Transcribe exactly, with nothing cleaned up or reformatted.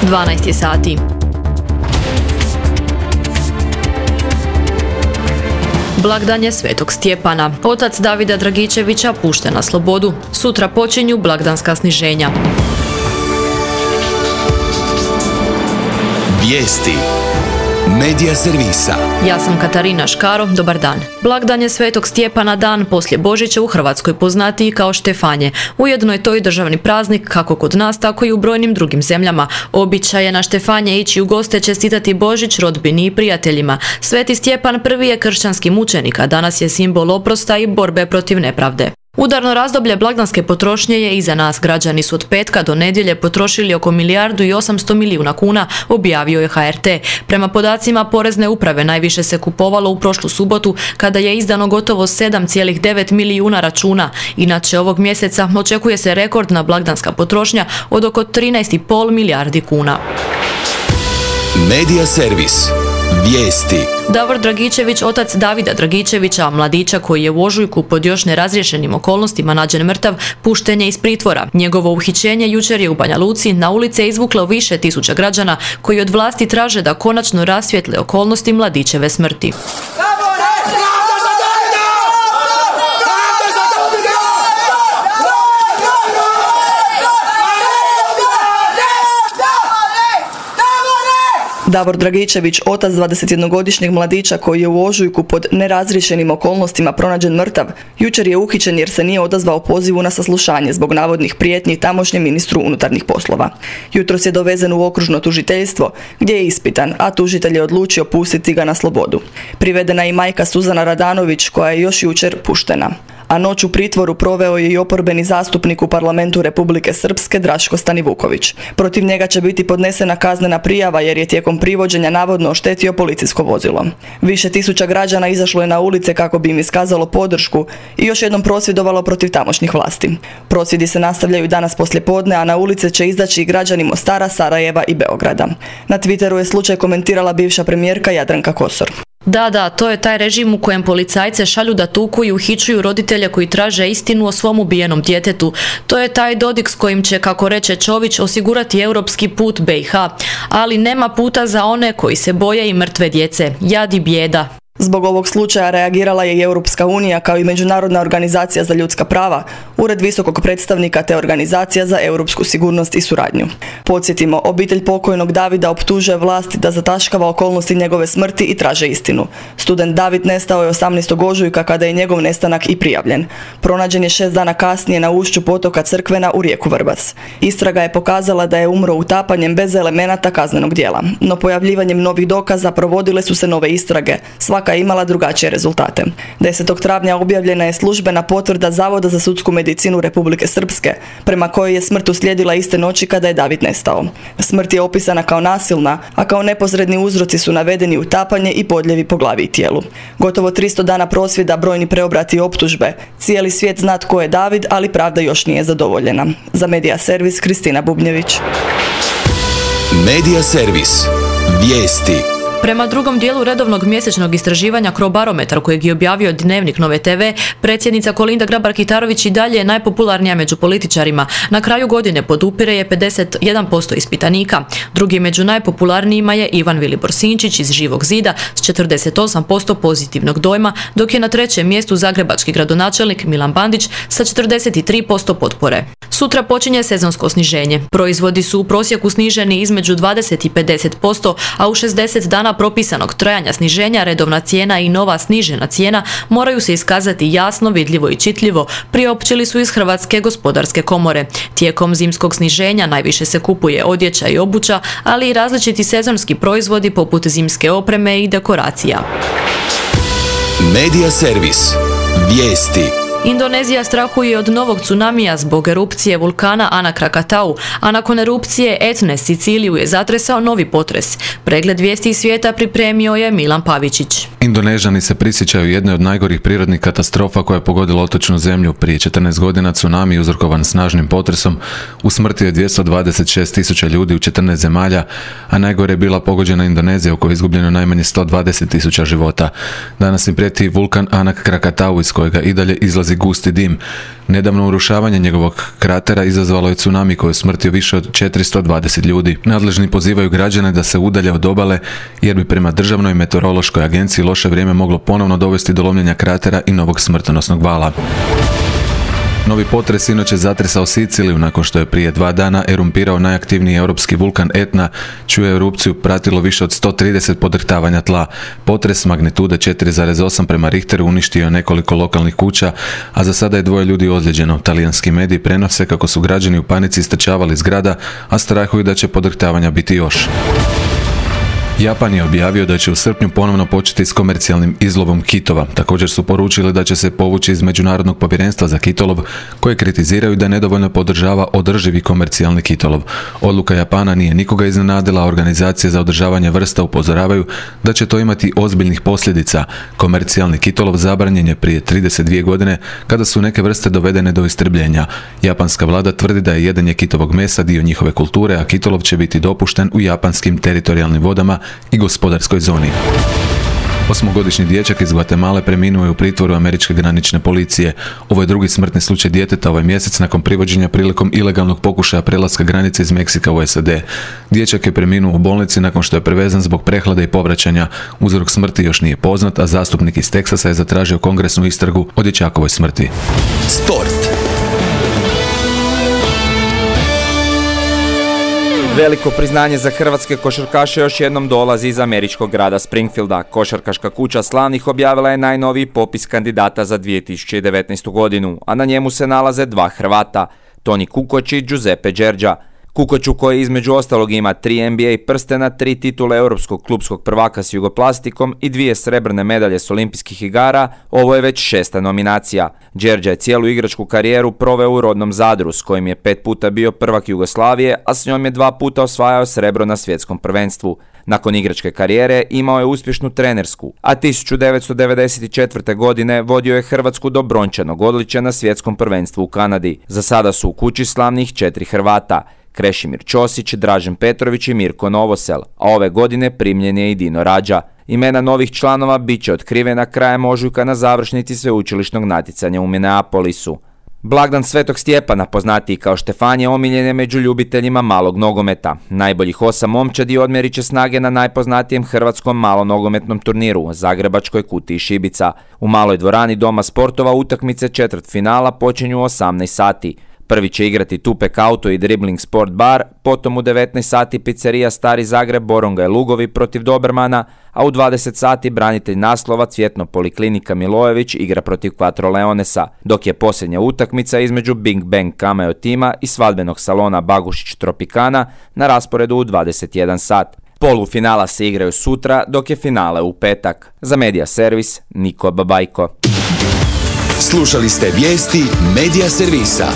dvanaest je sati. Blagdan Svetog Stjepana. Otac Davida Dragičevića pušten na slobodu. Sutra počinju blagdanska sniženja. Vijesti Medija servisa. Ja sam Katarina Škaro, dobar dan. Blagdan Svetog Stjepana, dan poslije Božića u Hrvatskoj poznatiji kao Štefanje. Ujedno je to i državni praznik kako kod nas, tako i u brojnim drugim zemljama. Običaj je na Štefanje ići u goste čestitati Božić rodbini i prijateljima. Sveti Stjepan prvi je kršćanski mučenik, a danas je simbol oprosta i borbe protiv nepravde. Udarno razdoblje blagdanske potrošnje je iza nas. Građani su od petka do nedjelje potrošili oko milijardu i osamsto milijuna kuna, objavio je H R T. Prema podacima Porezne uprave najviše se kupovalo u prošlu subotu kada je izdano gotovo sedam zarez devet milijuna računa. Inače ovog mjeseca očekuje se rekordna blagdanska potrošnja od oko trinaest zarez pet milijardi kuna. Medija servis. Vijesti. Davor Dragičević, otac Davida Dragičevića, mladića koji je u ožujku pod još nerazriješenim okolnostima nađen mrtav, pušten je iz pritvora. Njegovo uhićenje jučer je u Banja Luci na ulice izvuklo više tisuća građana koji od vlasti traže da konačno rasvijetle okolnosti mladićeve smrti. Davor Dragičević, otac dvadesetjednogodišnjeg mladića koji je u ožujku pod nerazriješenim okolnostima pronađen mrtav, jučer je uhićen jer se nije odazvao pozivu na saslušanje zbog navodnih prijetnji tamošnjem ministru unutarnjih poslova. Jutros je dovezen u okružno tužiteljstvo gdje je ispitan, a tužitelj je odlučio pustiti ga na slobodu. Privedena je i majka Suzana Radanović koja je još jučer puštena. A noć u pritvoru proveo je i oporbeni zastupnik u parlamentu Republike Srpske Draško Stanivuković. Protiv njega će biti podnesena kaznena prijava jer je tijekom privođenja navodno oštetio policijsko vozilo. Više tisuća građana izašlo je na ulice kako bi im iskazalo podršku i još jednom prosvjedovalo protiv tamošnjih vlasti. Prosvjedi se nastavljaju danas poslijepodne, a na ulice će izaći i građani Mostara, Sarajeva i Beograda. Na Twitteru je slučaj komentirala bivša premijerka Jadranka Kosor. Da, da, to je taj režim u kojem policajce šalju da tuku i uhićuju roditelje koji traže istinu o svom ubijenom djetetu. To je taj Dodik s kojim će, kako reče Čović, osigurati europski put B i H. Ali nema puta za one koji se boje i mrtve djece. Jad i bijeda. Zbog ovog slučaja reagirala je i Europska unija kao i Međunarodna organizacija za ljudska prava, Ured visokog predstavnika te Organizacija za europsku sigurnost i suradnju. Podsjetimo, obitelj pokojnog Davida optužuje vlasti da zataškava okolnosti njegove smrti i traže istinu. Student David nestao je osamnaestog ožujka kada je njegov nestanak i prijavljen. Pronađen je šest dana kasnije na ušću potoka Crkvena u rijeku Vrbac. Istraga je pokazala da je umro utapanjem bez elemenata kaznenog djela. No pojavljivanjem novih dokaza provodile su se nove istrage. Svaka je imala drugačije rezultate. desetog travnja objavljena je službena potvrda Zavoda za sudsku medicinu Republike Srpske, prema kojoj je smrt uslijedila iste noći kada je David nestao. Smrt je opisana kao nasilna, a kao neposredni uzroci su navedeni utapanje i podljevi po glavi i tijelu. Gotovo tristo dana prosvjeda, brojni preobrati i optužbe. Cijeli svijet zna tko je David, ali pravda još nije zadovoljena. Za Medija servis, Kristina Bubnjević. Medija servis. Vijesti. Prema drugom dijelu redovnog mjesečnog istraživanja Crobarometar kojeg je objavio Dnevnik Nove te ve, predsjednica Kolinda Grabar-Kitarović i dalje je najpopularnija među političarima. Na kraju godine podupire je pedeset jedan posto ispitanika. Drugi među najpopularnijima je Ivan Vilibor Sinčić iz Živog zida s četrdeset osam posto pozitivnog dojma, dok je na trećem mjestu zagrebački gradonačelnik Milan Bandić sa četrdeset tri posto potpore. Sutra počinje sezonsko sniženje. Proizvodi su u prosjeku sniženi između dvadeset i pedeset posto, a u šezdeset dana propisanog trajanja sniženja redovna cijena i nova snižena cijena moraju se iskazati jasno, vidljivo i čitljivo, priopćili su iz Hrvatske gospodarske komore. Tijekom zimskog sniženja najviše se kupuje odjeća i obuća, ali i različiti sezonski proizvodi poput zimske opreme i dekoracija. Medija servis. Vijesti. Indonezija strahuje od novog tsunamija zbog erupcije vulkana Anak Krakatau, a nakon erupcije Etne Siciliju je zatresao novi potres. Pregled vijesti iz svijeta pripremio je Milan Pavičić. Indonežani se prisjećaju jedne od najgorih prirodnih katastrofa koja je pogodila otočnu zemlju. Prije četrnaest godina tsunami uzrokovan snažnim potresom usmrtio je dvjesto dvadeset šest tisuća ljudi u četrnaest zemalja, a najgore je bila pogođena Indonezija u kojoj je izgubljeno najmanje sto dvadeset tisuća života. Danas im prijeti vulkan Anak Krakatau iz kojega i dalje izlazi izlazi gusti dim. Nedavno urušavanje njegovog kratera izazvalo je tsunami koji je smrtio više od četiristo dvadeset ljudi. Nadležni pozivaju građane da se udalje od obale jer bi prema Državnoj meteorološkoj agenciji loše vrijeme moglo ponovno dovesti do lomljenja kratera i novog smrtonosnog vala. Novi potres sinoć je zatresao Siciliju nakon što je prije dva dana erumpirao najaktivniji europski vulkan Etna, čiju je erupciju pratilo više od sto trideset podrhtavanja tla. Potres magnitude četiri zarez osam prema Richteru uništio je nekoliko lokalnih kuća, a za sada je dvoje ljudi ozlijeđeno. Talijanski mediji prenose kako su građani u panici istrčavali iz grada, a strahuju da će podrhtavanja biti još. Japan je objavio da će u srpnju ponovno početi s komercijalnim izlovom kitova. Također su poručili da će se povući iz Međunarodnog povjerenstva za kitolov, koje kritiziraju da nedovoljno podržava održivi komercijalni kitolov. Odluka Japana nije nikoga iznenadila, a organizacije za održavanje vrsta upozoravaju da će to imati ozbiljnih posljedica. Komercijalni kitolov zabranjen je prije trideset dvije godine kada su neke vrste dovedene do istrebljenja. Japanska vlada tvrdi da je jedenje kitovog mesa dio njihove kulture, a kitolov će biti dopušten u japanskim teritorijalnim vodama i gospodarskoj zoni. Osmogodišnji dječak iz Gvatemale preminuo je u pritvoru američke granične policije. Ovo je drugi smrtni slučaj djeteta ovaj mjesec nakon privođenja prilikom ilegalnog pokušaja prelaska granice iz Meksika u S A D. Dječak je preminuo u bolnici nakon što je prevezan zbog prehlade i povraćanja. Uzrok smrti još nije poznat, a zastupnik iz Teksasa je zatražio kongresnu istragu o dječakovoj smrti. Sport. Veliko priznanje za hrvatske košarkaše još jednom dolazi iz američkog grada Springfielda. Košarkaška kuća Slavnih objavila je najnoviji popis kandidata za dvije tisuće devetnaestu godinu, a na njemu se nalaze dva Hrvata, Toni Kukoč i Giuseppe Đerđa. Kukoču, koji između ostalog ima tri N B A prstena, tri titule europskog klubskog prvaka s Jugoplastikom i dvije srebrne medalje s olimpijskih igara, ovo je već šesta nominacija. Đerđa je cijelu igračku karijeru proveo u rodnom Zadru, s kojim je pet puta bio prvak Jugoslavije, a s njom je dva puta osvajao srebro na svjetskom prvenstvu. Nakon igračke karijere imao je uspješnu trenersku, a tisuću devetsto devedeset četvrte. godine vodio je Hrvatsku do brončanog odličja na svjetskom prvenstvu u Kanadi. Za sada su u kući Slavnih četiri Hrvata: Krešimir Ćosić, Dražen Petrović i Mirko Novosel, a ove godine primljen je i Dino Rađa. Imena novih članova bit će otkrivena krajem ožujka na završnici sveučilišnog natjecanja u Minneapolisu. Blagdan Svetog Stjepana, poznatiji kao Štefan, je omiljen je među ljubiteljima malog nogometa. Najboljih osam momčadi odmjerit će snage na najpoznatijem hrvatskom malonogometnom turniru, Zagrebačkoj kutiji Šibica. U maloj dvorani Doma sportova utakmice četvrtfinala počinju u osamnaest sati. Prvi će igrati Tupek Auto i Dribbling Sport Bar, potom u devetnaest sati pizzerija Stari Zagreb, Boronga i Lugovi protiv Dobermana, a u dvadeset sati branitelj naslova Cvjetno Poliklinika Milojević igra protiv Quattro Leonesa, dok je posljednja utakmica između Bing Bang Cameo tima i svadbenog salona Bagušić Tropicana na rasporedu u dvadeset jedan sat. Polufinala se igraju sutra, dok je finale u petak. Za Media Servis, Niko Babajko. Slušali ste vijesti Media Servisa.